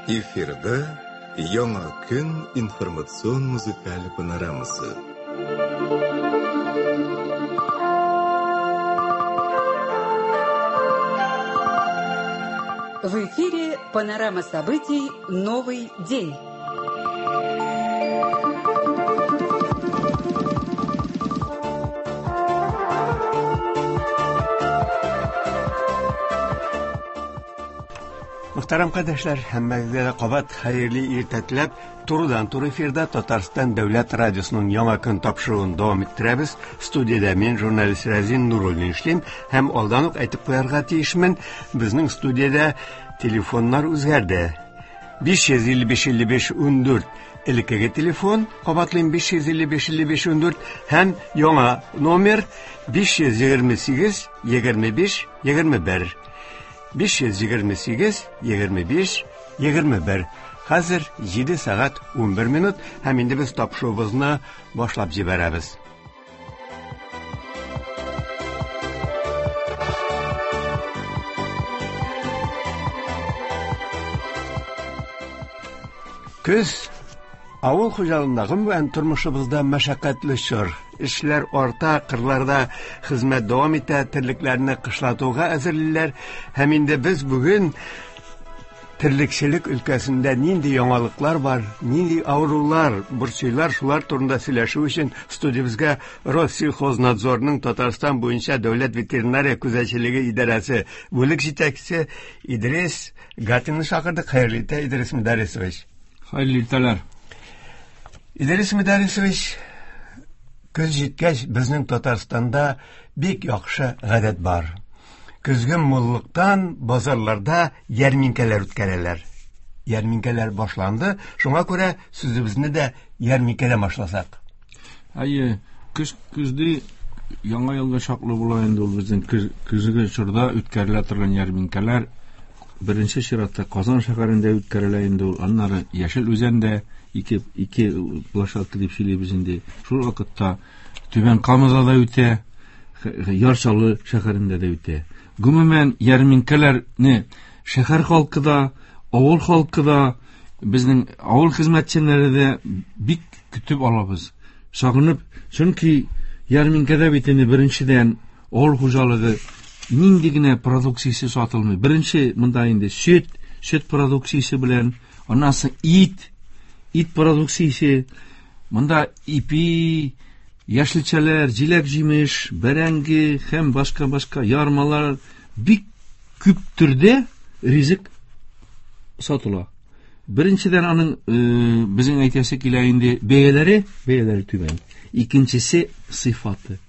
Эфирда Яңа көн информацион музыкаль панорамасы. В эфире панорама событий «Новый день». Мөхтәрәм кардәшләр, һәммәгезгә дә кабат хәерле иртә теләп, турыдан-туры эфирда Татарстан дәүләт радиосының Яңа көн тапшыруын дәвам иттерәбез. Студиядә мин, журналист Рәзин Нуруллин эшлим һәм алдан ук әйтеп куярга тиешмен, безнең студиядә телефоннар үзгәрде. 555 55 14 элеккеге телефон, кабатлыйм 555 55 14 һәм яңа номер 528 25 21. 528 25 21. Хәзер 7 сәгать 11 минут һәм инде без тапшыруыбызны башлап җибәрәбез. Көз авыл хуҗалыгында, гомумән тормышыбызда мәшәкатьле чор. Эшләр арта, кырларда хезмәт дәвам итә, терлекләрне кышлатуга әзерлиләр. Һәм инде без бүген терлекчелек өлкәсендә нинди яңалыклар бар, нинди авырулар борчыйлар, шулар турында сөйләшү өчен студиябезгә Россельхознадзорның Татарстан буенча дәүләт ветеринария күзәтчелеге идарәсе бүлек җитәкчесе Идрис Гатинны чакырдык. Хәерле иртә, Идрис Мөдәррисович. Хәерле иртәләр. Идрис Мөдәррисович, көз җиткәч, безнең Татарстанда бик яхшы гадәт бар. Көзге муллыктан базарларда ярминкәләр үткәрәләр. Ярминкәләр башланды, шуңа күрә сүзебезне дә ярминкәдән башласак. Әйе, көз көзде яңа елга чаклы була инде ул безнең көз, көзге чорда үткәрелә торган ярминкәләр. Беренче чиратта Казан шәһәрендә үткәрелә инде ул, аннары Яшел Үзәндә ике площадка дип сөйлибез инде. Шул вакытта Түбән Камада да үтә, Яр Чаллы шәһәрендә дә үтә. Гомумән, ярминкәләрне шәһәр халкы да, авыл халкы да, безнең авыл хезмәтчәннәре дә бик көтеп алабыз. Сагынып, чөнки ярминкәдә бит инде беренчедән авыл хуҗалыгы нинди генә продукциясе сатылмый. Беренче монда инде сөт, сөт продукциясе белән, аннан соң ит, ит продукциясе, монда ипи, яшелчәләр, җиләк-җимеш, бәрәңге һәм башка-башка ярмалар бик күп төрдә ризык сатыла. Беренчедән аның безнең әйтәсе килә инде бәяләре, бәяләре түбән. Икенчесе сыйфаты.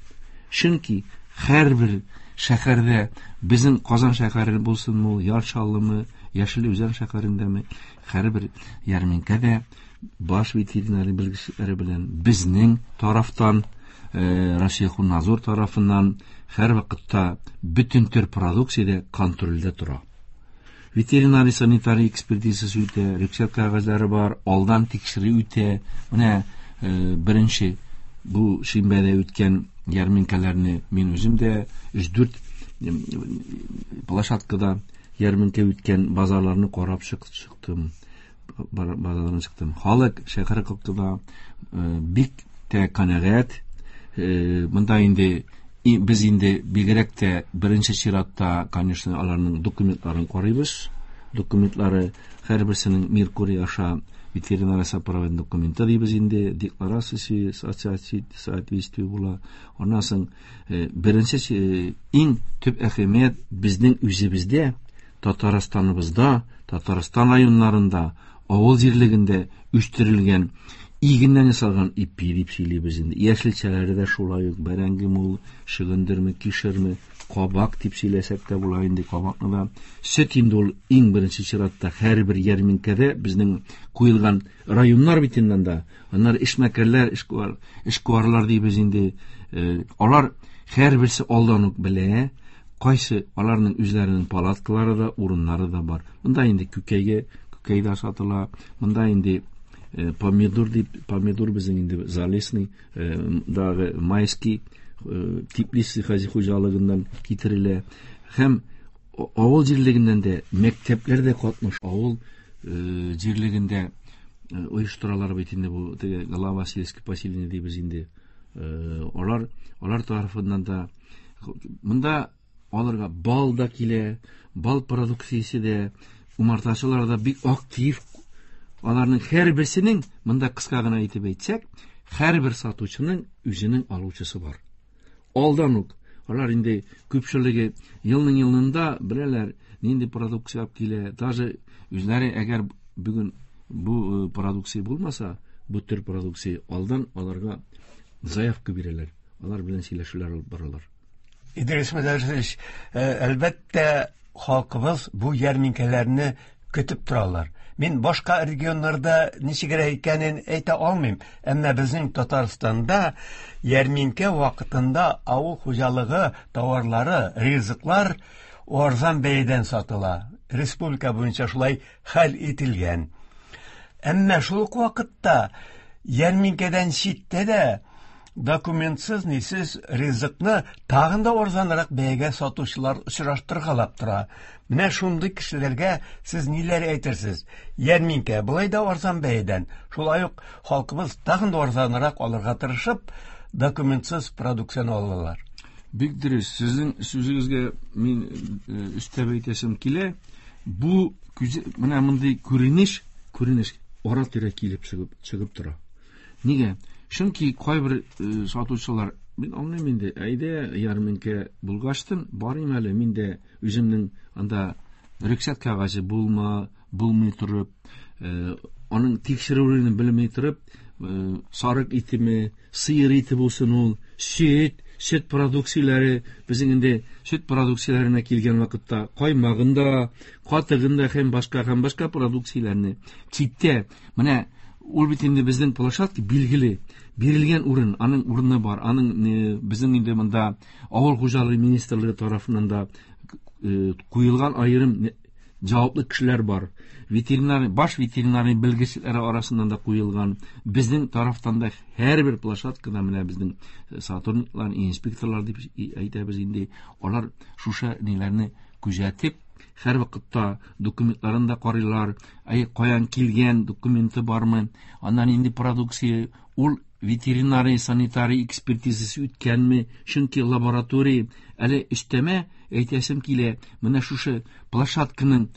Чөнки һәрбер шәһәрдә, безнең Казан шәһәре булсынмы, Яр Чаллымы, Яшел Үзән шәһәрендәме, һәрбер ярминкәдә баш ветеринария белгечләре белән безнең тарафтан, Россельхознадзор тарафыннан һәр вакытта бөтен төр продукция дә контрольдә тора. Ветеринария санитария экспертизасы үтә, рөхсәт кәгазьләре бар, алдан тикшерү үтә. Менә беренче бу шимбәдә үткән ярминкәләрне мин үзем дә өч-дүрт площадкада ярминкә үткән базарларны карап чыктым. Базарларны чыктым. Халык шәһәр халкы да бик тә канәгать. Монда инде без инде бигрәк тә беренче чиратта, конечно, аларның документларын карыйбыз. Документлары һәрберсенең Меркурий аша ветеринария сопроводный документы дибез инде, декларациясе соответствие була. Аннан соң беренче иң төп әһәмият безнең үзебездә, Татарстаныбызда, Татарстан районнарында, авыл җирлегендә үстерелгән игеннән ясалган ипи дип сөйлибез инде. Яшелчәләре дә шулай ук, бәрәңгеме ул, чөгендерме, кишерме, кабак дип сөйләсәк тә була инде, кабакны да. Сөт инде ул иң беренче чиратта һәрбер ярминкәдә безнең куелган районнар бит инде анда. Аннары эшмәкәрләр, эшкуарлар дибез инде. Алар һәрберсе алдан ук белә, кайсы аларның үзләренең палаткалары да, урыннары да бар. Монда инде күкәй дә сатыла. Монда инде помидор дип, помидор безнең инде залесный, дагы майский, теплица хуҗалыгыннан китерелә. Һәм авыл җирлегеннән дә мәктәпләр дә катнаша. Авыл җирлегендә оештыралар бит инде бу теге глава сельского поселения дибез инде. Алар тарафыннан да монда аларга бал да килә, бал продукциясе дә, умартачылар да бик актив. Аларның һәрберсенең, монда кыска гына әйтеп әйтсәк, һәрбер сатучының үзенең алучысы бар. Алдан ук алар инде күпчелеге елның елында беләләр, нинди продукция алып килә. Даже үзләре әгәр бүген бу продукция булмаса, бу төр продукция алдан аларга заявка бирәләр. Алар белән сөйләшүләр алып баралар. Идрис Мөдәррисович, әлбәттә, халкыбыз бу ярминкәләрне көтеп торалар. Мин башка регионнарда ничегрәк икәнен әйтә алмыйм, әмма безнең Татарстанда ярминкә вакытында авыл хуҗалыгы товарлары, ризыклар арзан бәядән сатыла. Республика буенча шулай хәл ителгән. Әмма шул ук вакытта ярминкәдән читтә дә документсыз, нисез ризыкны тагын да арзанрак бәягә сатучылар очраштыргалап тора. Менә шундый кешеләргә сез ниләр әйтерсез? Ярминкә болай да арзан бәядән, шулай ук халкыбыз тагын да арзанрак алырга тырышып, документсыз продукцияне алалар. Бик дөрес. Сезнең сүзегезгә мин өстәп әйтәсем килә. Бу менә мондый күренеш ара-тирә килеп чыгып тора. Нигә? Чөнки кайбер сатучылар, мин аңлыйм инде, әйдә ярминкә булгачтын, барыйм әле, мин дә үземнең анда рөхсәт кәгазе булмый торып, аның тикшерүен белми торып, сарык итеме, сыер ите булсын ул, сөт продукцияләре, безнең инде сөт продукцияләренә килгән вакытта каймагында, катыгында һәм башка продукцияләрне читтә, менә ул бит инде безнең площадка билгеле, бирелгән урын, аның урыны бар, аның безнең инде монда авыл хуҗалыгы министрлыгы тарафыннан да куелган аерым җаваплы кешеләр бар. Ветеринар, баш ветеринарный белгечләре арасыннан да куелган. Безнең тарафтан да һәрбер площадкада менә безнең сотрудниклар, инспекторлар дип әйтәбез инде, алар шушы ниләрне күзәтеп, һәр вакытта документларын да карыйлар, әй каян килгән документы бармы, аннан инде продукция, ул ветеринарий, санитарий экспертизасы үткәнме, чөнки лаборатория әле өстәмә әйтәсем килә, менә шушы площадканың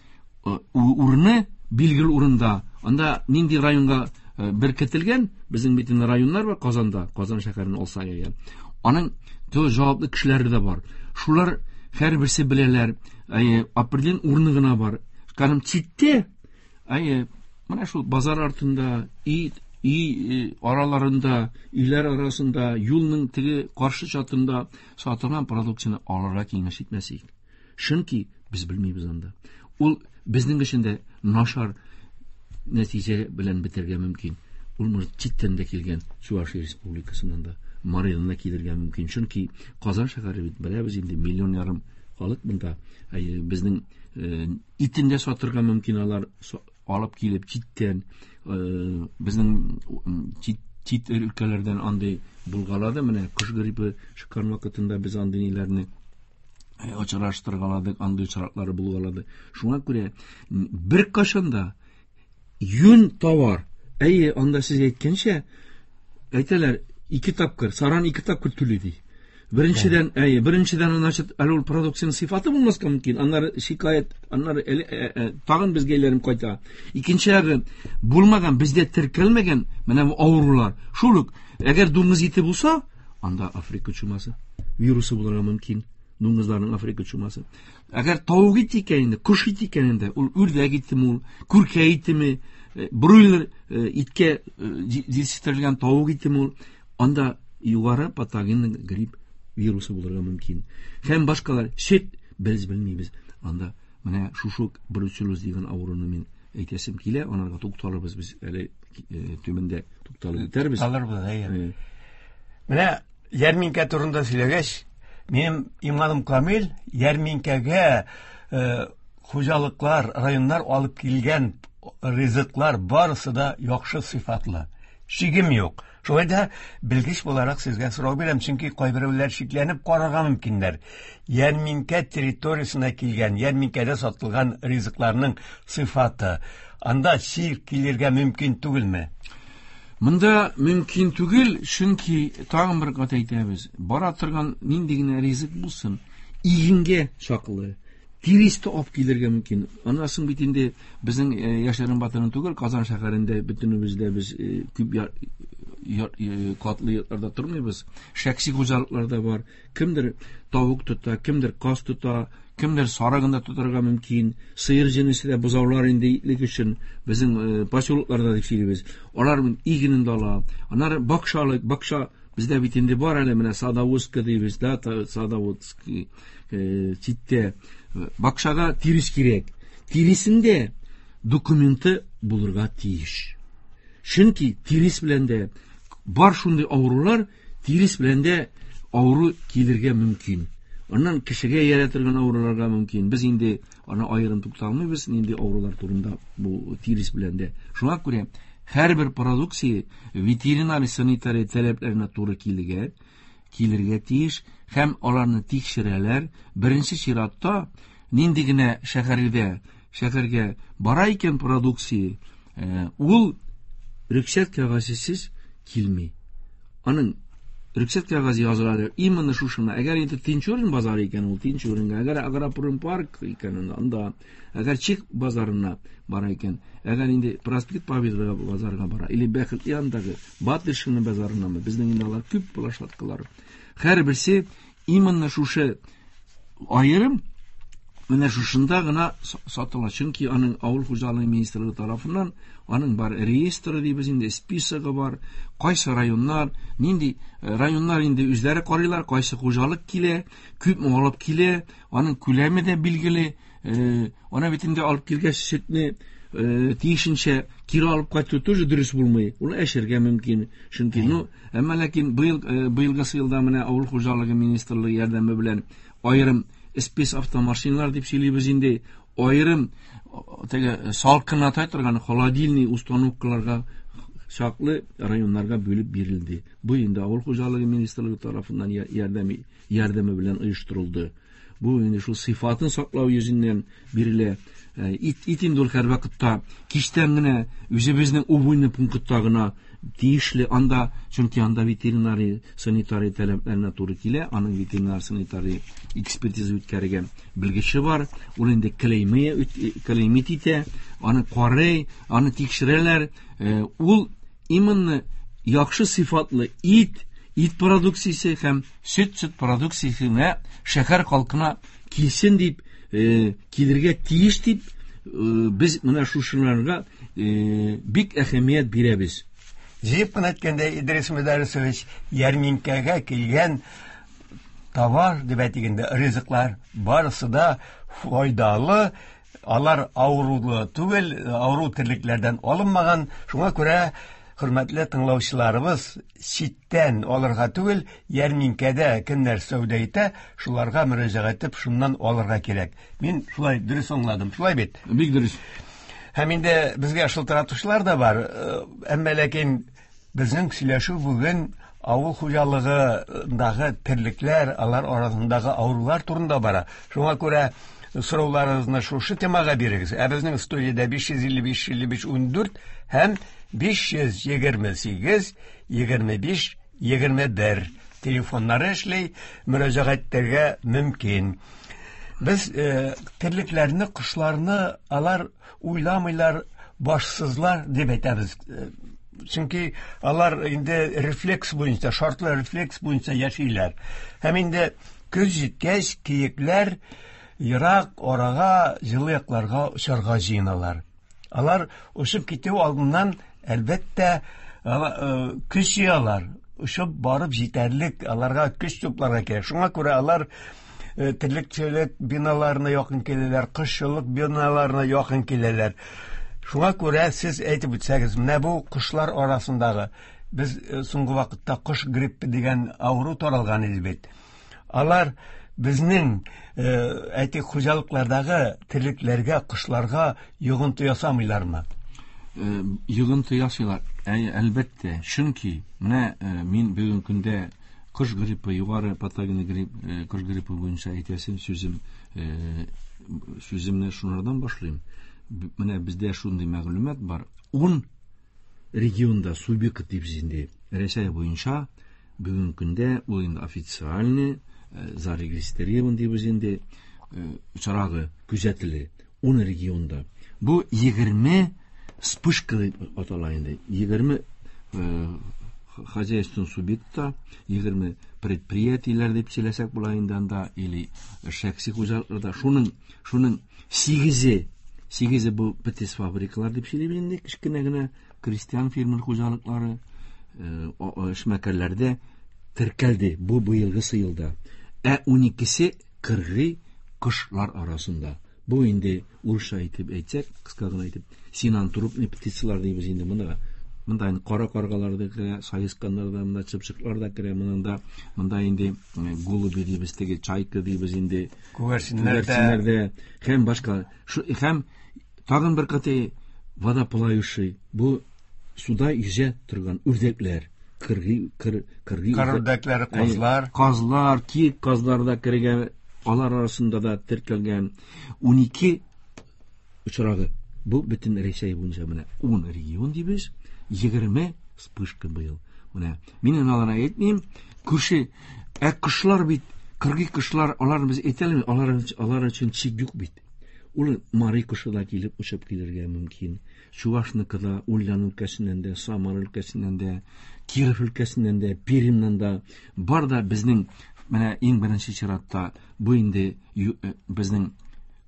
урыны билгеле урында, анда нинди районга беркетелгән, безнең бит инде районнар бар Казанда, Казан шәһәрен алсак әгәр, аның җаваплы кешеләре дә бар. Шулар һәрберсе беләләр, определен урыны гына бар. Кәдим читтә, менә шул базар артында, өй араларында, өйләр арасында, юлның теге каршы чатында сатылган продукцияне алырга киңәш итмәс идек. Чөнки без белмибез анда. Ул безнең өчен дә начар нәтиҗә белән бетергә мөмкин. Ул может читтән дә килгән, Чувашия республикасыннан да, Маридан да килергә мөмкин. Чөнки Казан шәһәре бит беләбез инде, миллион ярым халык монда. Безнең итен дә сатырга мөмкин алар алып килеп читтән, безнең чит өлкәләрдән андый булгалады. Менә кош гриппы чыккан вакытында без андый ниләрне очраштыргаладык, андый очраклары булгалады. Шуңа күрә бер кашан да юн товар, әйе, анда сез әйткәнчә, әйтәләр, ике тапкыр, саран ике тапкыр түли ди. Беренчедән, әйе, беренчедән, значит, әле ул продукцияның сыйфаты булмаска мөмкин. Аннары шикаять, аннары тагын безгә әйләнеп кайта. Икенче ягы, булмаган, бездә теркәлмәгән менә бу авырулар. Шул ук, әгәр дуңгыз ите булса, анда Африка чумасы вирусы булырга мөмкин. Дуңгызларның Африка чумасы. Әгәр тавык ите икән инде, кош ите икән инде, ул үрдәк итеме ул, күркә итеме, бройлер иткә җитештерелгән тавык итеме ул, анда югары патогенный грипп вирусы булырга мөмкин. Һәм башкалар, сөт без белмибез. Анда менә шушы бруцеллез дигән авыруны мин әйтәсем килә, анарга тукталырбыз без әле төбендә тукталып үтәрбез. Тукталырбыз, әйе. Менә ярминкә турында сөйләгәч, минем иманым камил, ярминкәгә хуҗалыклар, районнар алып килгән ризыклар барысы да яхшы сыйфатлы. Шигем юк. Шулай да белгеч буларак сезгә сорау бирәм, чөнки кайберәүләр шикләнеп карарга мөмкиннәр. Ярминкә территориясенә килгән, ярминкәдә сатылган ризыкларның сыйфаты, анда чир килергә мөмкин түгелме? Монда мөмкин түгел, чөнки тагын бер кат әйтәбез, бара торган нинди генә ризык булсын, игенгә чаклы, тирес тә алып килергә мөмкин. Аннан соң бит инде безнең яшерен батырын түгел, Казан шәһәрендә бөтенебез дә без күп катлы йортларда тормыйбыз. Шәхси хуҗалыклар да бар. Кемдер тавык тота, кемдер каз тота, кемдер сарыгын да тотарга мөмкин. Сыер җенесе дә бозаулар инде итлек өчен безнең поселокларда дип сөйлибез. Алар игенен дә ала. Аннары бакчалык, бакча бездә бит инде бар әле менә садоводка дибез, да, садоводский читтә. Бакчага тирес кирәк. Тиресендә документы булырга тиеш. Чөнки тирес белән дә бар шундый авырулар, тирес белән дә авыру килергә мөмкин. Аннан кешегә иярә торган авыруларга мөмкин. Без инде аны аерым тукталмыйбыз, нинди авырулар турында бу тирес белән дә. Шуңа күрә һәрбер продукция ветеринария санитария таләпләренә туры килергә тиеш һәм аларны тикшерәләр. Беренче чиратта нинди генә шәһәргә бара икән продукция, ул рөхсәт кәгазесез килми. Аның рөхсәт кәгазе языла именно шушына. Әгәр инде Тинчурин базары икән, ул Тинчуринга, әгәр Агропром парк икән, анда, әгәр Чик базарына бара икән, әгәр инде Проспект Победы базарына бара, или Бәхет янындагы Батыршин базарынамы, безнең инде алар күп площадкалар. Һәрберсе именно шушы аерым менә шушында гына сатыла. Чөнки аның авыл хуҗалыгы министрлыгы тарафыннан аның бар реестры дибез инде, списогы бар, кайсы районнар, нинди районнар инде үзләре карыйлар, кайсы хуҗалык килә, күпме алып килә, аның күләме дә билгеле. Ана бит инде алып килгәч сөтне тиешенчә кире алып кайту тоже дөрес булмый. Ул әшергә мөмкин. Чөнки, ну, әмма ләкин быелгы елда менә авыл хуҗалыгы министрлыгы ярдәме белән аерым спец автомашиналар дип сөйлибез инде, аерым теге салкыната торган холодильный установкаларга чаклы районнарга бүлеп бирелде. Бу инде авыл хуҗалыгы министрлыгы тарафыннан ярдәме белән оештырылды. Бу инде шул сыйфатын саклау йөзеннән бирелә. Ит инде ул һәрвакытта кичтән генә үзебезнең убойный пунктта гына тиешле анда, чөнки анда ветеринария санитария таләпләренә туры килә, аның ветеринар санитария экспертиза үткәргән белгече бар, ул инде клеймит итә, аны карый, аны тикшерәләр. Ул именно яхшы сыйфатлы ит, ит продукциясе һәм сөт продукциясенә шәһәр халкына килсен дип, килергә тиеш дип, без менә шушыларга бик әһәмият бирәбез. Җыеп кына әйткәндә, Идрис Мөдәррисович, ярминкәгә килгән товар дип әйтик инде, ризыклар барысы да файдалы, алар авырулы түгел, авыру терлекләрдән алынмаган. Шуңа күрә, хөрмәтле тыңлаучыларыбыз, читтән алырга түгел, ярминкәдә кемнәр сәүдә итә, шуларга мөрәҗәгать итеп, шуннан алырга кирәк. Мин шулай дөрес аңладым, шулай бит? Бик дөрес. Һәм инде безгә шылтыратучылар да бар, әмма ләкин безнең сөйләшү бүген авыл хуҗалыгындагы терлекләр, алар арасындагы авырулар турында бара. Шуңа күрә сорауларыгызны шушы темага бирегез. Ә безнең студиядә 555 55 14 һәм 528 25 21 телефоннары эшли, мөрәҗәгать итәргә мөмкин. Без терлекләрне, кошларны алар уйламыйлар, башсызлар дип әйтәбез. Чөнки алар инде рефлекс буенча, шартлы рефлекс буенча яшиләр. Һәм инде көз җиткәч, киекләр ерак арага, җылы якларга очарга җыеналар. Алар очып китү алдыннан, әлбәттә, көч җыялар. Очып барып җитәрлек, аларга көч тупларга кирәк. Шуңа күрә алар терлекчелек биналарына якын киләләр, кошчылык биналарына якын киләләр. Шуңа күрә сез әйтеп үтсәгез, менә бу кошлар арасындагы, без соңгы вакытта кош гриппы дигән авыру таралган иде бит. Алар безнең, әйтик, хуҗалыклардагы терлекләргә, кошларга йогынты ясамыйлармы? Йогынты ясыйлар. Әй, әлбәттә, чөнки менә мин бүгенге көндә кош гриппы, югары патогенный грипп, кош гриппы буенча әйтәсем сүзем, сүземне шунардан башлыйм. Менә бездә шундый мәгълүмат бар. 10 регионда субъект дип инде Рәсәй буенча бүгенге көндә ул инде официальный зарегистрирован дип инде очрагы күзәтелә 10 регионда. Бу 20 вспышка дип атала инде. 20 хозяйственный субъектта, 20 предприятиеләр дип сөйләсәк була инде анда, или шәхси хуҗалыкларда. Шуның 8-е бу птицфабрикалар дип сөйлибез инде, кечкенә генә крестьян фермер хуҗалыклары, эшмәкәрләрдә теркәлде бу быелгысы елда. Ә 12-се кыргый кошлар арасында. Бу инде урысча әйтеп әйтсәк, кыска гына әйтеп, синантропный птицалар дибез инде монда. Монда инде кара каргалар да керә, саесканнар да, монда чыпчыклар да керә, монда инде голуби дибез, теге чайка дибез инде, күгәрченнәр дә һәм башка. Һәм тагын бер каты водоплавающий, бу суда йөзә торган үрдәкләр, кыргый үрдәкләр, казлар, казлар, киек казлар да кергән, алар арасында да теркәлгән 12 очрагы. Бу бөтен Рәсәй буенча менә 10 регион дибез, 20 вспышка быел. Менә мин аларны әйтмим, күрше, ә кошлар бит, кыргый кошлар, аларны без әйтә алмыйбыз, алар өчен чик юк бит. Ул Мари кошы да килеп очып килергә мөмкин. Чувашныкы да, Ульян өлкәсеннән дә, Самара өлкәсеннән дә, Киров өлкәсеннән дә, Пермьнән дә, бар да безнең менә иң беренче чиратта бу инде безнең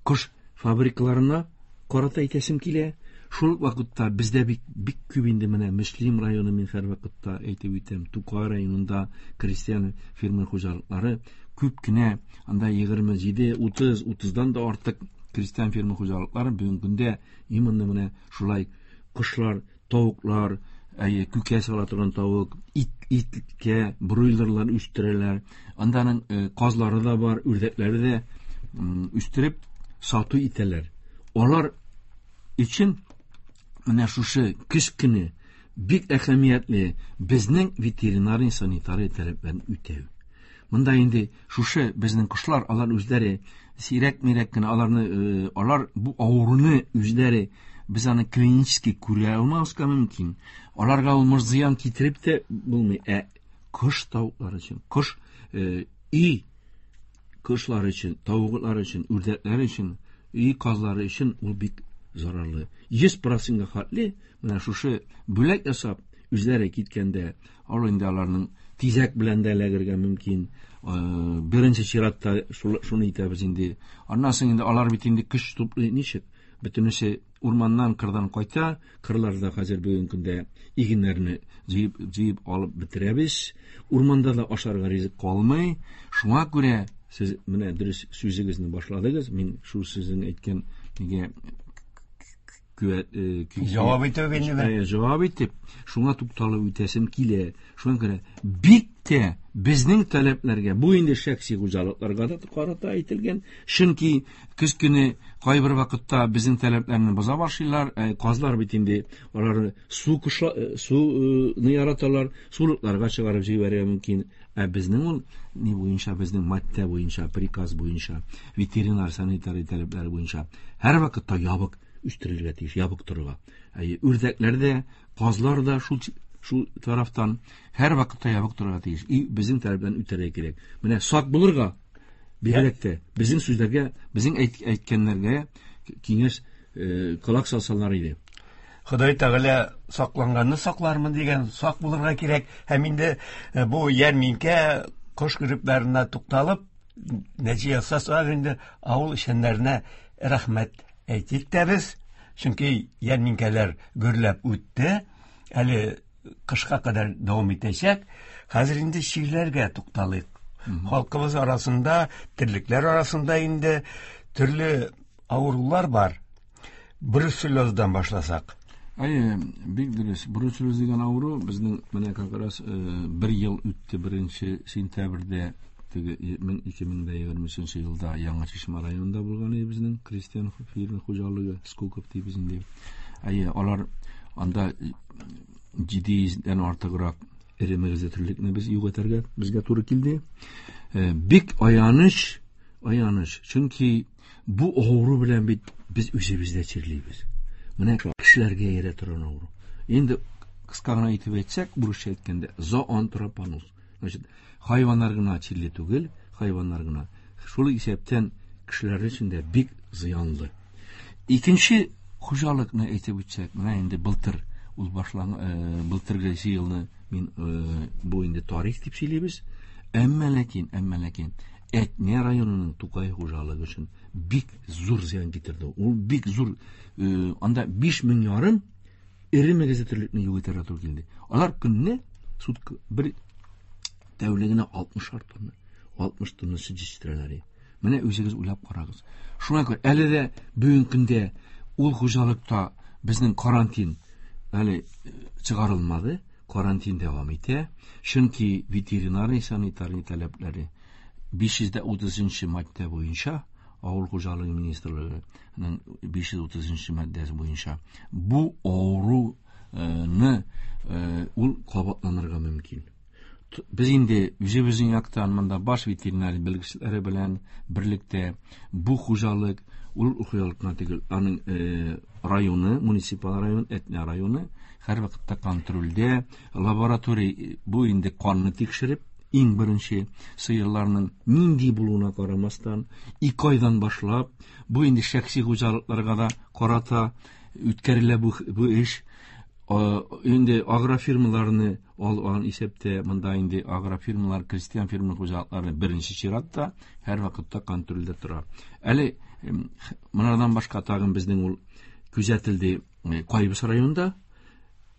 кош фабрикаларына карата әйтәсем килә. Шул вакытта бездә бик бик күп инде менә Мөслим районы, мин һәр вакытта әйтеп үтәм, Тукай районында крестьян фермер хуҗалыклары күп кенә, анда 27, 30, 30-дан да артык крестьян фермер хуҗалыклары бүгенге көндә именно менә шулай кошлар, тавыклар, күкә сала торган тавык, иткә бройлерлар үстерәләр. Анданың казлары да бар, үрдәкләре дә үстереп сату итәләр. Алар өчен менә шушы көз көне бик әһәмиятле безнең ветеринарий санитария таләпләрен үтәү. Монда инде шушы безнең кошлар, алар үзләре сирәк-мирәк кенә аларны, алар бу авыруны үзләре без аны клинически күрә алмаска мөмкин. Аларга ул зыян китереп тә булмый. Ә кош тавыклары өчен, кош өй кошлары өчен, тавыклар өчен, үрдәкләр өчен, өй казлары өчен ул бик зарарлы. 100%-га хәтле менә шушы бүләк ясап үзләре киткәндә, ал инде аларның тизәк белән дә эләгергә мөмкин. Беренче чиратта шуны итәбез инде. Аннан соң инде алар бит инде көч туплый ничек? Бөтенесе урманнан, кырдан кайта, кырларда хәзер бүгенге көндә игеннәрне җыеп алып бетерәбез. Урманда да ашарга ризык калмый. Шуңа күрә сез менә дөрес сүзегезне башладыгыз. Мин шул сезнең әйткән нигә җавап итеп инде. Җавап итеп, шуңа тукталып үтәсем килә. Шуңа күрә бик тә безнең таләпләргә, бу инде шәхси хуҗалыкларга да карата әйтелгән, чөнки көз көне кайбер вакытта безнең таләпләрне боза башлыйлар. Казлар бит инде алар су суны яраталар, сулыкларга чыгарып җибәрергә мөмкин. Ә безнең ул ни буенча, безнең маддә буенча, приказ буенча, ветеринар санитария таләпләре буенча һәр вакытта ябык үстерелергә тиеш, ябык торырга. Үрдәкләр дә, казлар да шул тарафтан һәр вакытта ябык торырга тиеш. И безнең таләпләрне үтәргә кирәк. Менә сак булырга бигрәк тә безнең сүзләргә, безнең әйткәннәргә киңәш колак салсалар иде. Ходай Тәгалә сакланганны саклармын дигән, сак булырга кирәк. Һәм инде бу ярминкә кош гриппларына тукталып, нәтиҗә ясасак инде авыл эшчәннәренә рәхмәт әйтик тә без, чөнки ярминкәләр гөрләп үтте, әле кышка кадәр дәвам итәчәк. Хәзер инде чирләргә тукталыйк. Халкыбыз арасында, терлекләр арасында инде төрле авырулар бар. Бруцеллездан башласак. Әйе, бик дөрес. Бруцеллез дигән авыру безнең менә как раз бер ел үтте, 1 сентябрьдә теге 2023 елда Яңа Чишмә районында булган иде безнең крестьян фермер хуҗалыгы Скоков дибез инде. Әйе, алар анда 700-дән артыграк эре мөгезле терлекне без юк итәргә безгә туры килде. Бик аяныч, аяныч. Чөнки бу авыру белән бит без үзебез дә чирлибез. Менә кешеләргә иярә торган авыру. Инде кыска гына итеп әйтсәк, урысча әйткәндә, зооантропоноз. Значит, хайваннар гына чирли түгел, хайваннар гына. Шул исәптән кешеләр өчен дә бик зыянлы. Икенче хуҗалыкны әйтеп үтсәк, менә инде былтыр ул башлан, былтыргы елны мин бу инде тарих дип сөйлибез. Әмма ләкин, әмма ләкин Әтнә районының Тукай хуҗалыгы өчен бик зур зыян китерде. Ул бик зур, анда 5000 ярым эре мөгезле терлекне юк итәргә туры килде. Алар көнне сутка бер тәүлегенә 60 тонна, 60 тонна сөт җитештерәләр. Менә үзегез уйлап карагыз. Шуңа күрә әле дә бүгенге көндә ул хуҗалыкта безнең карантин әле чыгарылмады, карантин дәвам итә. Чөнки ветеринарный санитарный таләпләре 530 маддә буенча, Авыл хуҗалыгы министрлыгының 530 маддәсе буенча бу авыруны ул кабатланырга мөмкин. Без инде үзебезнең яктан монда баш ветеринар белгечләре белән берлектә бу хуҗалык, ул хуҗалык кына түгел, аның районы, муниципаль район, Әтнә районы һәрвакытта контрольдә, лаборатория бу инде канны тикшереп, иң беренче сыерларның нинди булуына карамастан, 2 айдан башлап, бу инде шәхси хуҗалыкларга да карата үткәрелә бу эш. Инде агрофирмаларны алган исәптә, монда инде агрофирмалар, крестьян фермер хуҗалыклары беренче чиратта һәрвакытта контрольдә тора. Әле монардан башка тагын безнең ул күзәтелде Кайбыч районында,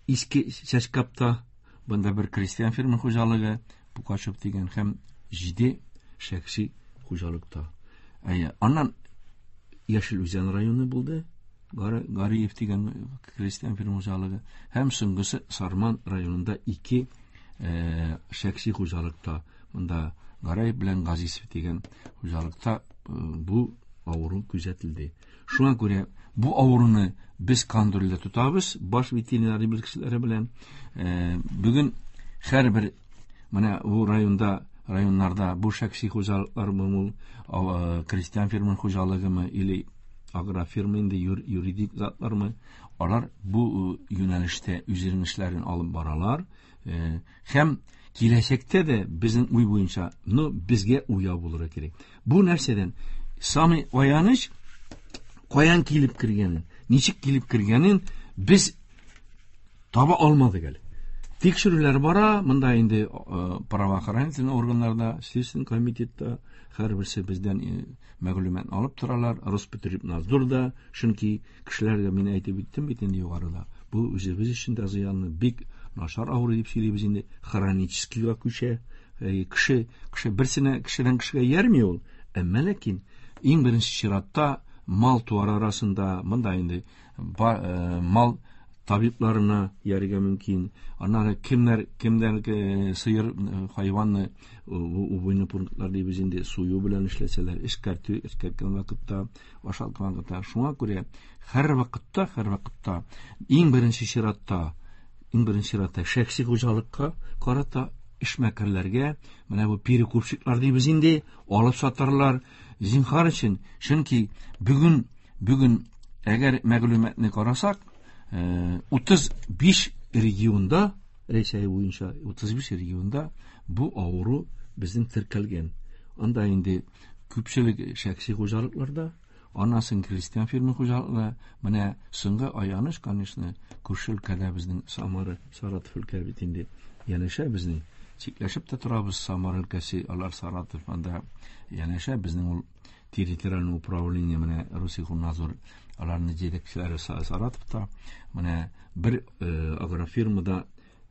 Иске Чәчкапта, бында бер крестьян фермер хуҗалыгы, Пукачев дигән һәм 7 шәхси хуҗалыкта. Әйе, аннан Яшел Үзән районы булды, Гариев дигән крестьян фермер хуҗалыгы, һәм соңгысы Сарман районында 2 шәхси хуҗалыкта, монда Гараев белән Газизов дигән хуҗалыкта бу авыру күзәтелде. Шуңа күрә бу авыруны без контрольдә тотабыз, баш ветеринар белгечләре белән. Бүген һәрбер менә бу районда, районнарда бу шәхси хуҗалыклармы, ул крестьян фермер хуҗалыгымы или агрофирма инде юридик затлармы, алар бу юнәлештә үзләренең эшләрен алып баралар. Һәм киләчәктә дә безнең уй буенча, но безгә уяу булырга кирәк. Бу нәрсәдән самый аяныч, каян килеп кергәнен, ничек килеп кергәнен без таба алмадык әле. Тикшерүләр бара, монда инде правоохранительный органнарда, Следственный комитетта һәрберсе бездән мәгълүмат алып торалар, Роспотребнадзорда, чөнки кешеләргә мин әйтеп үттем бит инде югарыда. Бу үзебез өчен дә зыянлы, бик начар авыру дип сөйлибез инде, хроническийга күчә. Кеше, кеше берсенә, кешедән кешегә иярми ул, әмма ләкин иң беренче чиратта мал туар арасында, монда инде мал табибларына иярергә мөмкин. Аннары кемнәр, кемнәр сыер, хайванны, убойный пунктлар дибез инде, сую белән эшләсәләр, эшкәртү, эшкәрткән вакытта, ашаткан вакытта. Шуңа күрә һәрвакытта, һәрвакытта иң беренче чиратта, иң беренче чиратта шәхси хуҗалыкка карата эшмәкәрләргә, менә бу перекупщиклар дибез инде, алып сатарлар, зинһар өчен, чөнки бүген әгәр мәгълүматны карасак, 35 регионда, Рәсәй буенча 35 регионда бу авыру безнең теркәлгән. Анда инде күпчелек шәхси хуҗалыкларда, аннан соң крестьян фермер хуҗалыклары, менә соңгы аяныч, конечно, күрше өлкәдә безнең Самара, Саратов өлкә бит инде янәшә безнең, чикләшеп тә торабыз Самара өлкәсе, алар Саратов, анда янәшә безнең ул территориальный управление, менә Россельхознадзор, аларның җитәкчеләре Саратовта, менә бер агрофирмада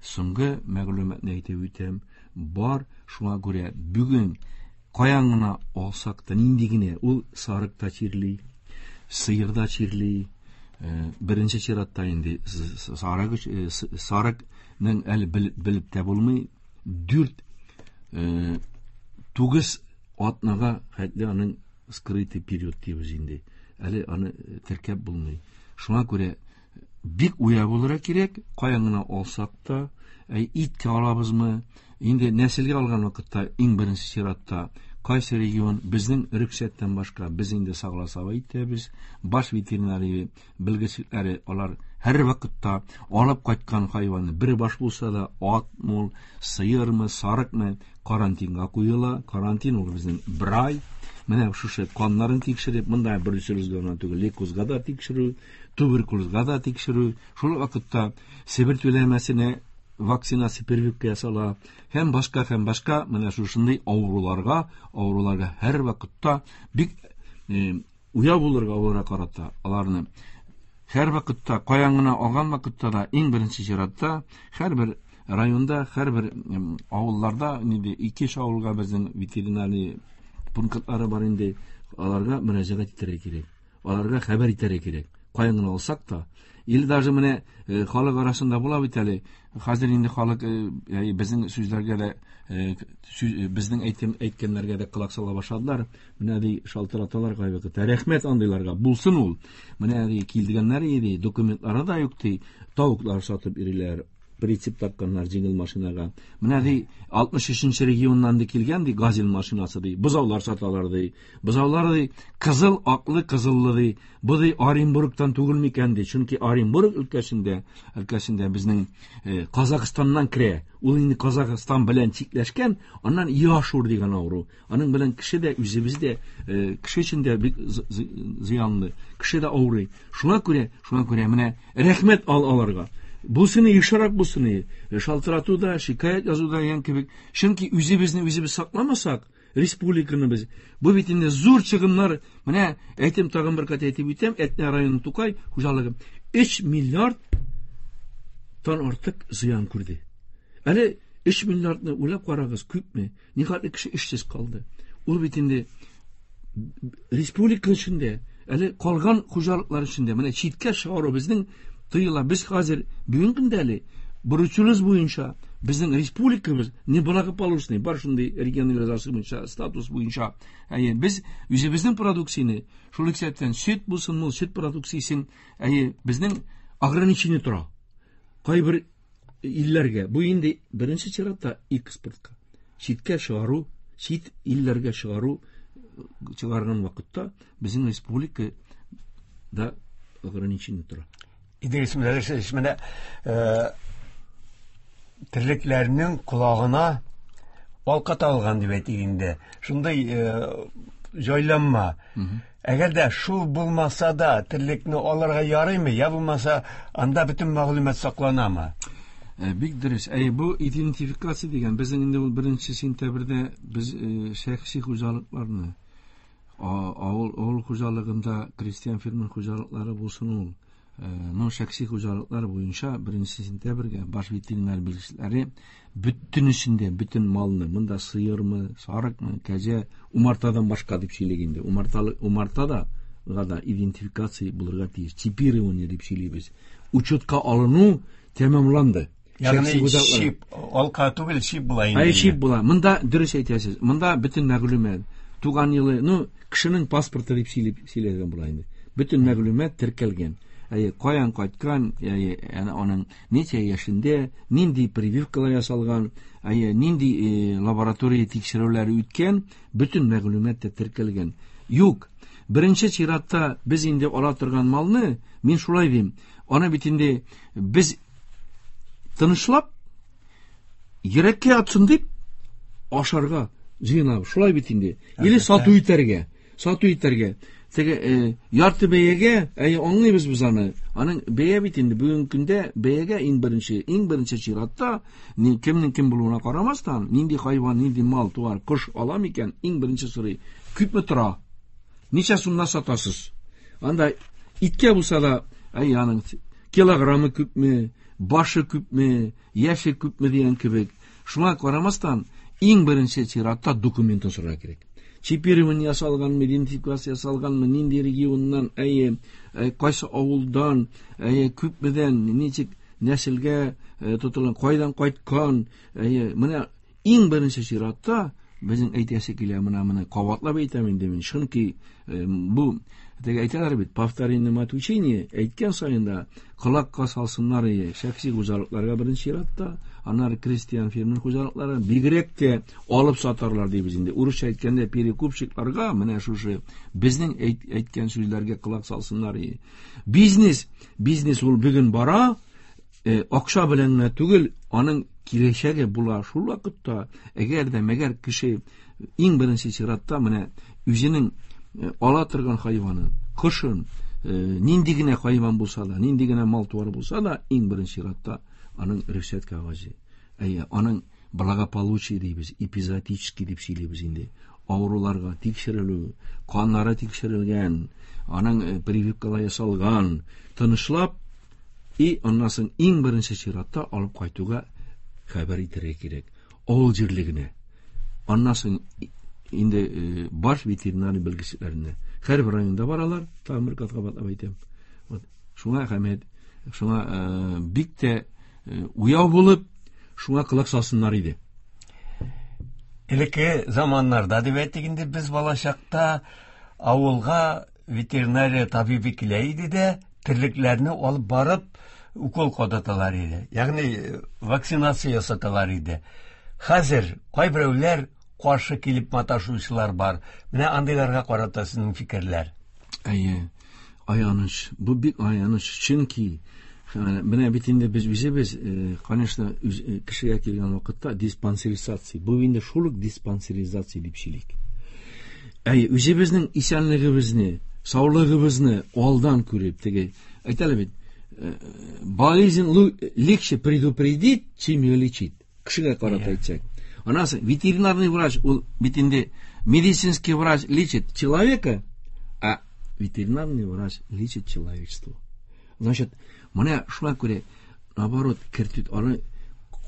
соңгы мәгълүматны әйтеп үтәм, бар, шуңа күрә бүген каян гына алсак та, нинди генә, ул сарык та чирли, сыер да чирли, беренче чиратта инде сарыкның әле белеп тә булмый, дүрт, тугыз атнага хәтле аның скрытый период дибез инде, әле аны теркәп булмый. Шуңа күрә Бик уя булырга кирәк, каян гына алсак та, иткә алабызмы, инде нәселгә алган вакытта иң беренче чиратта кайсы регион безнең рөхсәттән башка без инде согласовать итәбез. Баш ветеринария белгечләре алар һәр вакытта алып кайткан хайванны бер баш булса да, атмы ул, сыермы, сарыкмы, карантинга куела. Карантин ул безнең бер ай. Менә шушы каннарын тикшереп, монда бруцеллезга гына түгел, лейкозга да тикшерү, туберкулезга да тикшерү. Шул вакытта Себер түләмәсенә вакцинация прививка ясала һәм башка, һәм башка менә шушындый авыруларга, авыруларга һәр вакытта бик уяу булырга аларга карата. Аларны һәр вакытта каян гына алган вакытта да иң беренче чиратта һәрбер районда, һәрбер авылларда инде ике-өч авылга безнең ветеринарий пунктлары бар инде, аларга мөрәҗәгать итәргә кирәк. Аларга хәбәр итәргә кирәк. Каян гына алсак та, или даже менә халык арасында була бит әле. Хәзер инде халык безнең сүзләргә дә, безнең әйткәннәргә дә колак сала башладылар. Менә ди шалтыраталар кайвакытта. Рәхмәт андыйларга. Булсын ул. Менә ди килгәннәр иде, документлары да юк ди. Тавыклар сатып йөриләр. Прицеп такканнар җиңел машинага. Менә ди 63 регионнан ди килгән ди газель машинасы ди. Бозаулар саталар ди. Бозаулар ди кызыл, аклы, кызыллы ди. Бу ди Оренбургтан түгел микән ди. Чөнки Оренбург өлкәсендә безнең Казахстаннан керә. Ул инде Казахстан белән чикләшкән, аннан Яшур дигән авыру. Аның белән кеше дә үзебез дә кеше өчен дә бик зыянлы. Кеше дә авырый. Шуңа күрә менә рәхмәт ал аларга. Булсын ешрак булсын, шалтырату да, шикаять язу да дигән кебек. Чөнки үзебезне үзебез сакламасак, республиканы без. Бу бит инде зур чыгымнар. Менә әйтем тагын бер кат әйтеп үтәм, Әтнә районы Тукай хуҗалыгы 3 миллиард тан артык зыян күрде. Әле 3 миллиардны уйлап карагыз, күпме? Нихәтле кеше эшсез калды. Ул бит инде республика эчендә, әле калган хуҗалыклар эчендә, менә читкә чыгару безнең тыела. Без хәзер бүгенге көндә әле бруцеллез буенча безнең республикабыз неблагополучный, бар шундый регионализация буенча, статус буенча. Әйе, без үзебезнең продукцияне, шул исәптән сөт булсын, мул сөт продукциясен, әйе, безнең ограничение тора. Кайбер илләргә, бу инде беренче чиратта экспортка, читкә чыгару, чит илләргә чыгару, чыгарган вакытта безнең республика да ограничение тора. Идрис Мөдәррисович, менә терлекләрнең колагына алка тагылган дип әйтик инде. Шундый җайланма. Әгәр дә шул булмаса да терлекне алырга ярыймы, я булмаса анда бөтен мәгълүмат сакланамы? Бик дөрес. Әй, бу идентификация дигән безнең инде ул 1 сентябрьдә без шәхси хуҗалыкларны, авыл хуҗалыгында крестьян фермер хуҗалыклары булсын ул, но шәхси хуҗалыклар буенча 1 сентябрьгә баш ветеринар белгечләре бөтенесендә, бөтен малны, монда сыермы, сарыкмы, кәҗә, умартадан башка дип сөйлик инде. Умарта да гада идентификация булырга тиеш. Чипирование дип сөйлибез. Учетка алыну тәмамланды. Ягъни Шәхси хуҗалыклар. чип, алка түгел, чип була инде. Әй, чип була. Монда дөрес әйтәсез. Монда бөтен мәгълүмат, туган елы, кешенең паспорты дип сөйләгән була инде. Бөтен мәгълүмат теркәлгән. Әйе, каян кайткан, әйе, аның ничә яшендә, нинди прививкалар ясалган, әйе, нинди лаборатория тикшерүләре үткән, бөтен мәгълүмат та теркәлгән. Юк, беренче чиратта без инде ала торган малны, мин шулай дим, аны бит инде без тынычлап, йөрәккә атсын дип ашарга җыенабыз. Шулай бит инде. Или сату итәргә. Сату итәргә. Теге ярты бәягә, әйе, аңлыйбыз без аны. Аның бәя бит инде бүгенге көндә бәягә иң беренче чиратта кемнең кем булуына карамастан, нинди хайван, нинди мал, туар, кош ала микән, иң беренче сорый. Күпме тора? Ничә сумнан сатасыз? Анда иткә булса да, әйе, аның килограммы күпме, башы күпме, яше күпме дигән кебек. Шуңа карамастан, иң беренче чиратта документын сорарга кирәк. Чипирование ясалганмы, идентификация ясалганмы, нинди регионнан, әйе, кайсы авылдан, әйе, күпмедән, ничек нәселгә тотылган, кайдан кайткан, әйе, менә иң беренче чиратта безнең әйтәсе килә, менә кабатлап әйтәм инде мин, чөнки бу Теге әйтәләр бит, повторение мать учения, әйткән саен да колакка салсыннар ие, шәхси хуҗалыкларга беренче чиратта, аннары крестьян фермер хуҗалыклары, бигрәк тә алып сатарлар дибез инде. Урысча әйткәндә перекупщикларга менә шушы безнең әйткән сүзләргә колак салсыннар ие. Бизнес, бизнес ул бүген бара, акча белән генә түгел, аның киләчәге була шул вакытта, әгәр дә мәгәр кеше иң беренче чиратта менә үзенең ала торган хайванын, кошын, нинди генә хайван булса да, нинди генә мал-туар булса да, иң беренче чиратта аның рөхсәт кәгазе. Әйе, аның благополучие дибез, эпизоотический дип сөйлибез инде. Авыруларга тикшерелү, каннары тикшерелгән, аның прививкалар ясалган, тынычлап и аннан соң иң беренче чиратта алып кайтуга хәбәр итәргә кирәк. Авыл җирлегенә. Аннан соң инде баш ветеринарий белгечләренә. Һәрбер районда баралар, тагын бер кат кабатлап әйтәм. Вот шуңа әһәмият, шуңа бик тә уяу булып, шуңа колак салсыннар иде. Элекке заманнарда дип әйтик инде, без балачакта авылга ветеринария табибы килә иде дә, терлекләрне алып барып укол кадаталар иде. Ягъни вакцинация ясаталар иде. Хәзер кайберәүләр каршы килеп маташучылар бар. Менә андыйларга карата сезнең фикерләр. Әйе, аяныч. Бу бик аяныч, чөнки менә бит инде без үзебез, конечно, кешегә килгән вакытта диспансеризация. Бу инде шул ук диспансеризация дип сөйлик. Әйе, үзебезнең исәнлегебезне, саулыгыбызны алдан күреп, теге әйтәләр бит, болезнь легче предупредить, чем ее лечить. Кешегә карата әйтсәк. Аннан соң ветеринарный врач, ул бит инде медицинский врач лечит человека, а ветеринарный врач лечит человечество. Значит, менә шуңа күрә, наоборот, кертү, аны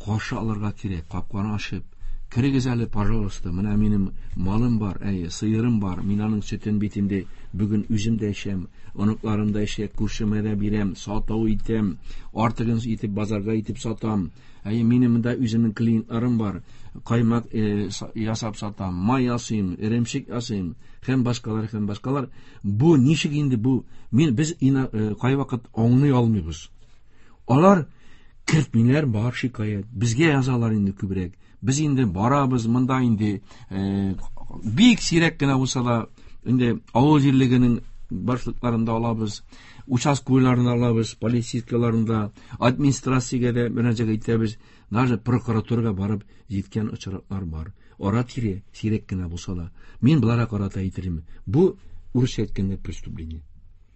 каршы алырга кирәк, капканы ачып, керегез әле, пожалуйста, менә минем малым бар, әйе, сыерым бар, мин аның сөтен бит инде бүген үзем дә эчәм, оныкларым да эчә, күршемә дә бирәм, сату итәм, артыгын итеп базарга итеп сатам. Әйе, минем монда үземнең клиентларым бар, каймак ясап сатам, май ясыйм, эремчек ясыйм, һәм башкалар, һәм башкалар. Бу ничек инде бу? Мин без кайвакыт аңлый алмыйбыз. Алар кертмиләр, бар шикаять. Безгә язалар инде күбрәк. Без инде барабыз, монда инде бик сирәк кенә булса да, инде авыл җирлегенең башлыкларында алабыз, участковыйларында алабыз, полицейскийларында, администрациягә дә мөрәҗәгать итәбез, даже прокуратурага барып җиткән очраклар бар. Ара-тирә сирәк кенә булса да, мин боларга карата әйтермен. Бу урысча әйткәндә преступление.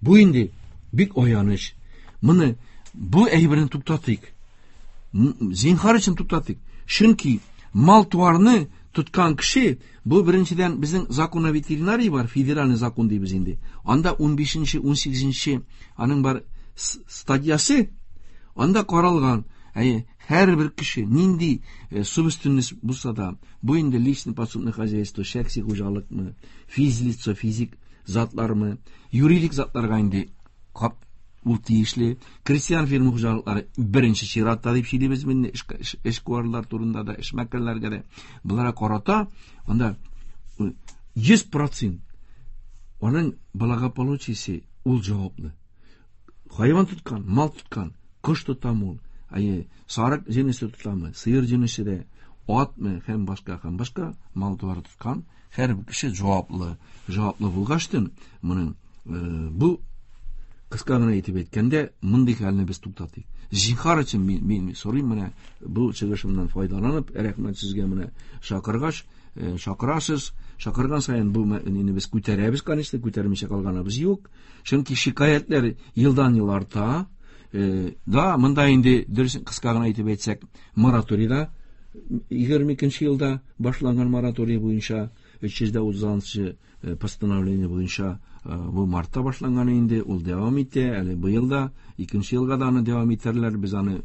Бу инде бик аяныч. Моны бу әйберне туктатыйк. Зинһар өчен туктатыйк. Чөнки мал-туарны тоткан кеше, бу беренчедән безнең закон о ветеринарии бар, федеральный закон дибез инде. Анда 15-нче, 18-нче аның бар статьясы, анда каралган, әйе, һәрбер кеше нинди собственность булса да, бу инде личный подсобное хозяйство, шәхси хуҗалыкмы, физлицо, физик затлармы, юридик затларга инде кап ул тиешле. Крестьян фермер хуҗалыклары беренче чиратта дип сөйлибез инде, эшкуарлар турында да, эшмәкәрләргә дә. Боларга карата анда 100% аның благополучиесе ул җаваплы. Хайван тоткан, мал тоткан, кош тотамы ул, әйе, сарык җенесе тотамы, сыер җенесе дә, атмы һәм башка, һәм башка мал-туар тоткан һәр кеше җаваплы. Җаваплы булгачтын, моның бу кыска гына итеп әйткәндә, мондый хәлне без туктатыйк. Зинһар өчен мин сорыйм, менә бу чыгышымнан файдаланып, рәхмәт сезгә менә чакыргач, чакырасыз, чакырган саен бу мәсьәләне без күтәрәбез, конечно, күтәрмичә калганыбыз юк. Чөнки шикаятьләр елдан-ел арта. Да, монда инде дөрес кыска гына итеп әйтсәк, мораторийда егерме икенче елда башланган мораторий буенча өч йөз дә утызынчы постановление буенча бу мартта башланган инде, ул дәвам итә, әле быел да икенче елга да аны дәвам итәрләр, без аны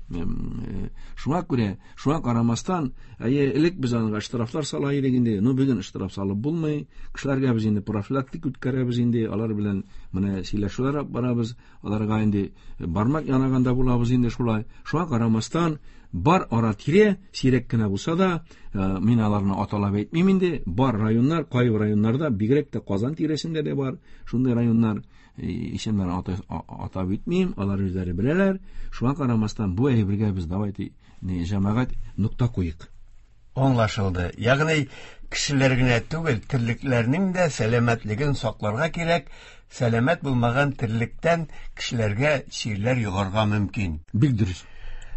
шуңа күрә, шуңа карамастан, әйе, элек без аңа штрафлар сала идек инде, но бүген штраф салып булмый, кешеләргә без инде профилактик үткәрәбез инде, алар белән менә сөйләшүләр алып барабыз, аларга инде бармак янаганда булабыз инде шулай. Шуңа карамастан, бар ара-тирә, сирәк кенә булса да, мин аларны аталап әйтмим инде, бар районнар, кайбер районнарда бигрәк Бигрәк тә Казан тирәсендә дә бар шундый районнар, исемнәрен атап үтмим, алар үзләре беләләр. Шуңа карамастан бу әйбергә без давайте җәмәгать нокта куйык. Аңлашылды. Ягъни кешеләр генә түгел, терлекләрнең дә сәламәтлеген сакларга кирәк. Сәламәт булмаган терлектән кешеләргә чирләр йогарга мөмкин. Бик дөрес.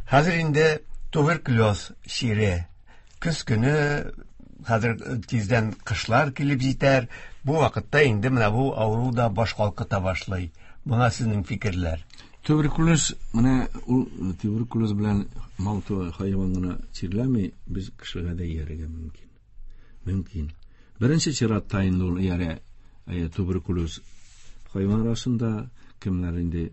Хәзер инде туберкулез чире. Көз көне, хәзер тиздән кышлар килеп җитәр. Бу вакытта инде менә бу авыру да баш калкыта башлый. Моңа сезнең фикерләр? Туберкулез, менә ул туберкулез белән мал хайван гына чирләми, без кешегә дә иярергә мөмкин. Мөмкин. Беренче чиратта инде ул иярә туберкулез хайван арасында, кемнәр инде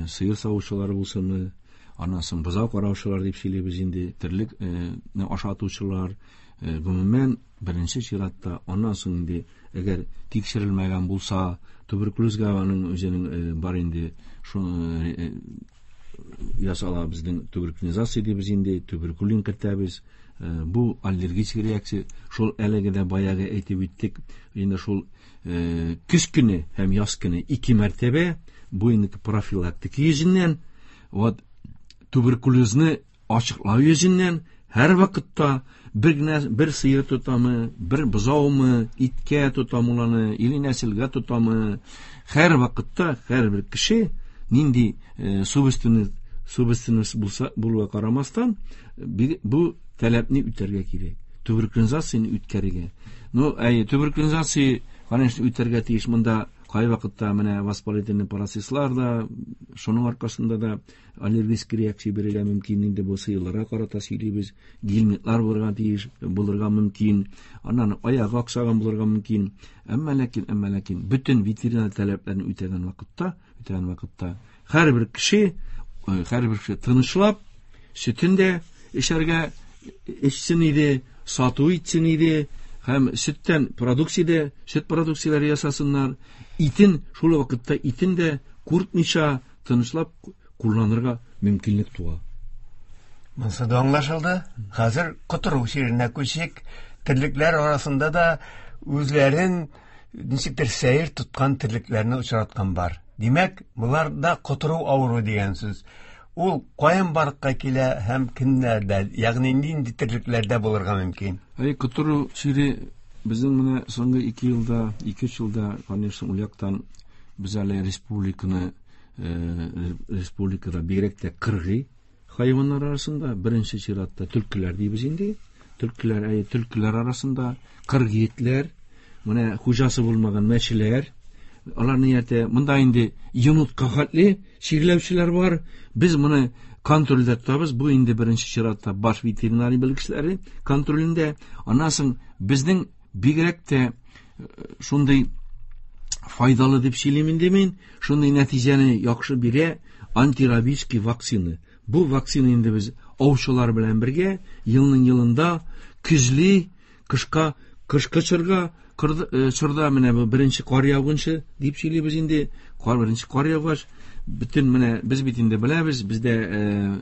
сыер савучылар булсынмы, аннан соң бозау караучылар дип сөйлибез инде, терлекне ашатучылар, гомумән беренче чиратта, аннан соң инде әгәр тикшерелмәгән булса, туберкулезга аның үзенең бар инде шуны ясала безнең туберкулизация дибез инде, туберкулин кертәбез. Бу аллергический реакция, шул әлеге дә баягы әйтеп үттек, инде шул көз көне һәм яз көне ике мәртәбә, бу инде профилактика йөзеннән, вот туберкулезны ачыклау йөзеннән һәр вакытта бер генә бер сыер тотамы, бер бозаумы, иткә тотамы уланы, или нәселгә тотамы, һәр вакытта һәрбер кеше нинди собственность булса булуга карамастан, бу таләпне үтәргә кирәк. Туберкулизацияне үткәрергә. Ну, әй, туберкулизация, конечно, үтәргә тиеш. Монда кай вакытта менә воспалительный процесслар да, шуның аркасында да аллергический реакция бирергә мөмкин. Инде бу сыерларга карата сөйлибез, гельминтлар булырга тиеш, булырга мөмкин, аннан аягы аксаган булырга мөмкин. Әмма ләкин бөтен ветеринар таләпләрен үтәгән вакытта һәрбер кеше тынычлап сөтен дә эчәргә эчсен иде, сату итсен иде, һәм сөттән продукция, сөт продукцияләре ясасыннар, итен шул вакытта итен дә куркмыйча тынычлап кулланырга мөмкинлек туа. Монысы да аңлашылды. Хәзер котыру чиренә күчик. Терлекләр арасында да үзләрен ничектер сәер тоткан терлекләрне очраткан бар. Димәк, болар да котыру авыруы дигән сүз. Ул каян барлыкка килә һәм кемнәрдә, ягъни нинди терлекләрдә булырга мөмкин? Әй, котыру чире безнең менә соңгы 2 елда, 2-3 елда, конечно, ул яктан без әле республиканы, республикада бигрәк тә кыргый хайваннар арасында беренче чиратта төлкеләр дибез инде. Төлкеләр, әй, төлкеләр арасында кыргый этләр, менә хуҗасы булмаган мәчеләр, аларны яртә, монда инде йонытка хәтле чирләүчеләр бар. Без моны контрольдә тотабыз. Бу инде беренче чиратта баш ветеринария белгечләре контролендә. Аннан соң безнең бигрәк тә шундый файдалы дип сөйлим инде мин, шундый нәтиҗәне яхшы бирә антирабический вакцина. Бу вакцина инде без аучылар белән бергә елның елында көзле, кышка, кышкы чорга, чорда менә бу беренче кар яугынчы дип сөйлибез инде. Кар беренче кар яугач, бөтен менә без бит инде беләбез, бездә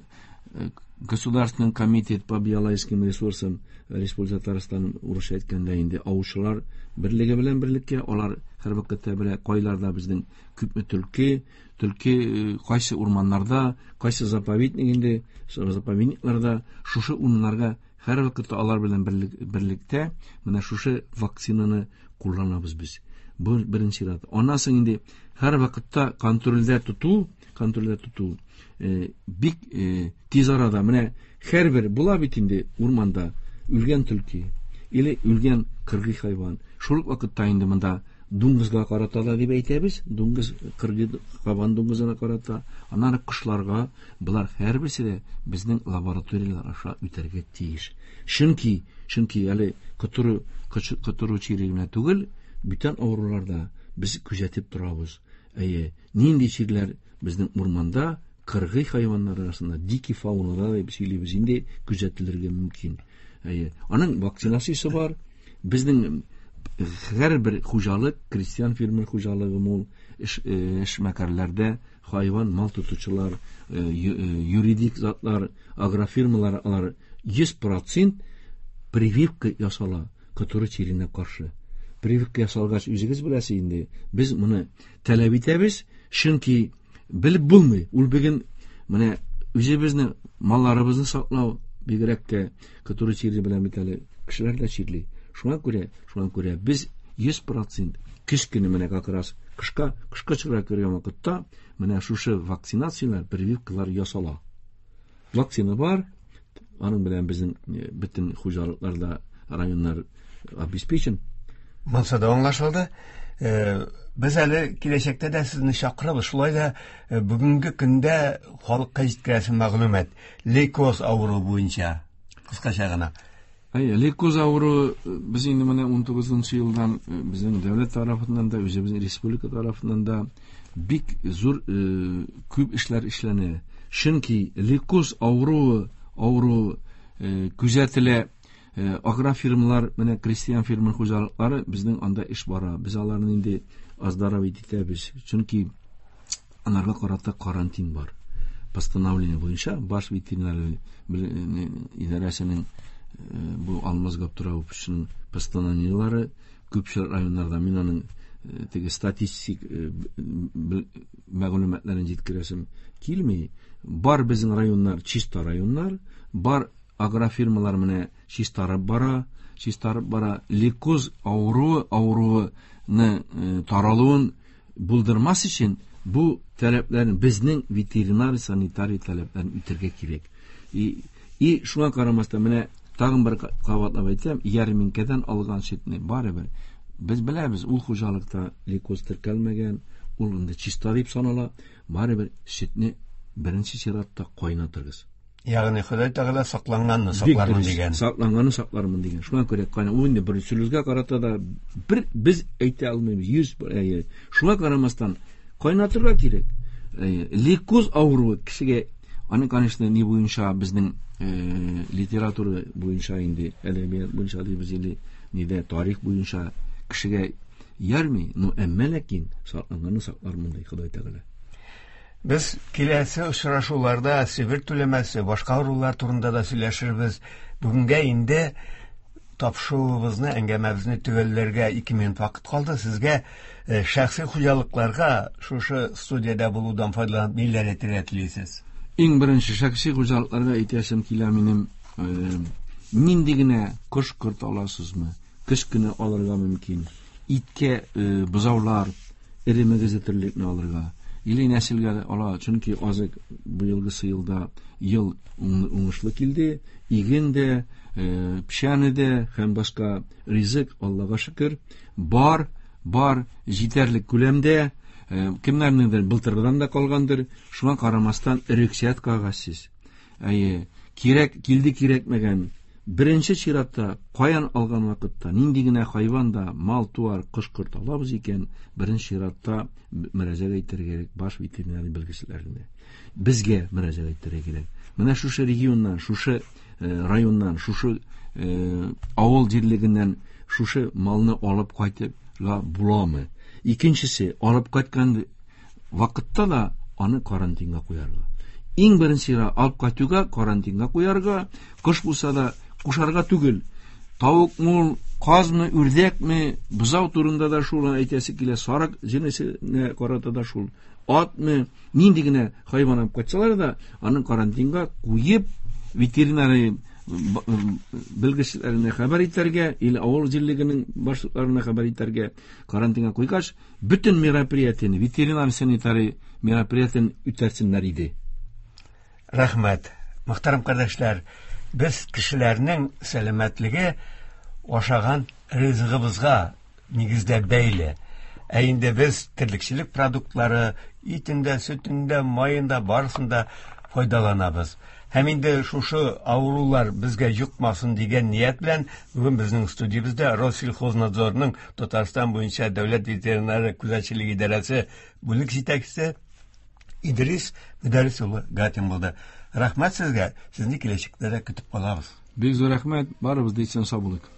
Государственный комитет по биологическим ресурсам Республика Татарстан урысча әйткәндә инде аучылар берлеге белән берлеккә, алар һәр вакытта белә кайларда безнең күпме төлке, төлке кайсы урманнарда, кайсы заповедник инде, заповедникларда, шушы урыннарга һәр вакытта алар белән берлектә менә шушы вакцинаны кулланабыз без. Бу беренче рәт. Аннан соң инде һәр вакытта контрольдә тоту, бик тиз арада менә һәрбер була бит инде урманда үлгән төлке или үлгән кыргый хайван. Шул ук вакытта инде монда дуңгызга карата да дип әйтәбез, дуңгыз кыргый кабан дуңгызына карата, аннары кошларга, болар һәрберсе дә безнең лабораторияләр аша үтәргә тиеш. Чөнки әле котыру чире генә түгел, бүтән авыруларда без күзәтеп торабыз. Әйе, нинди чирләр безнең урманда кыргый хайваннар арасында, дикий фаунада дип сөйлибез инде, күзәтелергә мөмкин. Әйе, аның вакцинациясе бар. Безнең һәрбер хуҗалык, крестьян фермер хуҗалыгы мул, эшмәкәрләрдә хайван, мал тотучылар, юридик затлар, агрофирмалар, алар 100% прививка ясала котыру чиренә каршы. Прививка ясалгач, үзегез беләсез инде, без моны таләп итәбез, чөнки белеп булмый. Ул бүген менә үзебезне, малларыбызны саклау бигрәк тә котыру чире белән бит әле кешеләр дә чирли. Шуңа күрә без 100% көз көне менә как раз кышка чыгарга кергән вакытта менә шушы вакцинацияләр, прививкалар ясала. Вакцина бар, аның белән безнең бөтен хуҗалыкларда районнар обеспечен. Монсы да аңлашылды. Без әле киләчәктә дә сезне чакырабыз. Шулай да бүгенге көндә халыкка җиткерәсе мәгълүмат лейкоз авыруы буенча кыскача гына. Әйе, лейкоз авыруы без инде менә 19 елдан безнең дәүләт тарафыннан да, үзебезнең республика тарафыннан да бик зур күп эшләр эшләнә. Чөнки лейкоз авыруы күзәтелә. Агрофирмалар, менә крестьян фермер хуҗалыклары безнең анда эш бара. Без аларны инде оздоровить итәбез. Чөнки аларга карата карантин бар. Постановление буенча баш ветеринар идарәсенең бу Алмаз Габдурауповичның постановлениеләре күпчелек районнарда мин аның теге статистик мәгълүматларын җиткерәсем килми. Бар безнең районнар чиста районнар, бар агрофирмалар менә чистарып бара. Лейкоз авыруны таралуын булдырмас өчен бу таләпләрне безнең ветеринар санитарий таләпләрен үтәргә кирәк. И шуңа карамастан менә тагын бер кабатлап әйтәм, ярминкәдән алган сөтне барыбер без беләбез, ул хуҗалыкта лейкоз теркәлмәгән, ул инде чиста дип санала, барыбер сөтне беренче чиратта кайнатыргыз. Ягъни Ходай Тәгалә сакланганны саклармын дигән. Сакланганны саклармын дигән. Шуңа күрә кайна ул инде бер сүзгә карата да бер без әйтә алмыйбыз. 100 шуңа карамастан кайнатырга кирәк. Лейкоз авыруы кешегә аны, конечно, ни буенча безнең литература буенча инде әдәбият буенча дибез или нидә тарих буенча кешегә ярмый, но әмма ләкин сакланганны саклармын ди Ходай Тәгалә. Без киләсе очрашуларда Себер түләмәсе, башка авырулар турында да сөйләшербез. Бүгенгә инде тапшыруыбызны, әңгәмәбезне төгәлләргә 2 минут вакыт калды. Сезгә шәхси хуҗалыкларга шушы студиядә булудан файдаланып ниләр әйтергә телисез? Иң беренче шәхси хуҗалыкларга әйтәсем килә минем, нинди генә кош-корт аласызмы, көз көне алырга мөмкин. Иткә бозаулар, эре мөгезле терлекне алырга. Или нәселгә ала, чөнки азык быелгысы елда ел уңышлы килде, иген дә, печәне дә һәм башка ризык, Аллага шөкер, бар җитәрлек күләмдә, кемнәрнеңдер былтырдан да калгандыр, шуңа карамастан рөхсәт кәгазьсез. Әйе, кирәк килде кирәкмәгән. Беренче чиратта каян алган вакытта нинди генә хайван да, мал-туар, кош-корт алабыз икән, беренче чиратта мөрәҗәгать итәргә кирәк баш ветеринар белгечләренә. Безгә мөрәҗәгать итәргә кирәк. Менә шушы регионнан, шушы районнан, шушы авыл җирлегеннән шушы малны алып кайтырга буламы? Икенчесе, алып кайткан вакытта да аны карантинга куярга. Иң беренче алып кайтуга карантинга куярга, кош булса да кушарга түгел. Тавыкмы, казмы, үрдәкме, бозау турында да шул әйтәсе килә, сарык җенесенә карата да шул. Атмы, нинди генә хайван алып кайтсалар да, аны карантинга куеп, ветеринария белгечләренә хәбәр итәргә, или авыл җирлегенең башлыкларына хәбәр итәргә, карантинга куйгач, бөтен мероприятиене, ветеринар санитарий мероприятиене үтәрсеннәр иде. Рәхмәт. Мөхтәрәм кардәшләр, без кешеләрнең сәламәтлеге ашаган ризыгыбызга нигездә бәйле. Ә инде без терлекчелек продуктлары итендә, сөтендә, маенда барысында файдаланабыз. Һәм инде шушы авырулар безгә йокмасын дигән ният белән бүген безнең студиябездә Россельхознадзорның Татарстан буенча дәүләт ветеринария күзәтчелеге идарәсе бүлек җитәкчесе Идрис Мөдәррис улы Гатин булды. Рәхмәт сезгә, сезне киләчәктә дә көтеп калабыз. Бик зур рәхмәт, барыбыз да исән сау булыйк.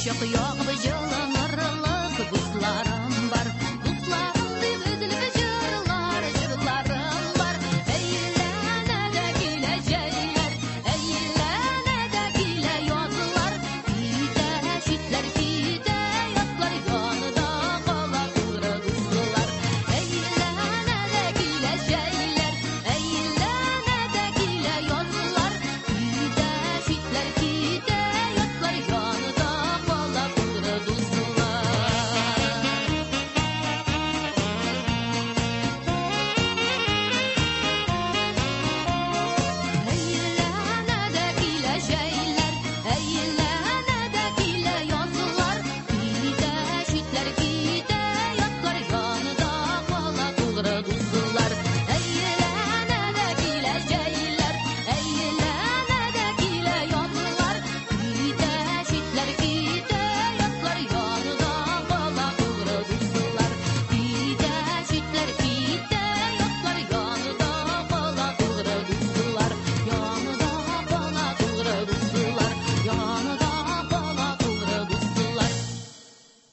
Учак ягып җылынырлык дусларым бар. Дусларым дип өзелеп җырлар, җырларым бар. Әйләнә дә килә җәйләр, әйләнә дә килә язлар. Китә читләр, китә ятлар, янында кала тугры дуслар. Әйләнә дә килә җәйләр, әйләнә дә килә язлар. Китә читләр, китә ятлар, янында кала тугры дуслар. Әйләнә дә килә җәйләр,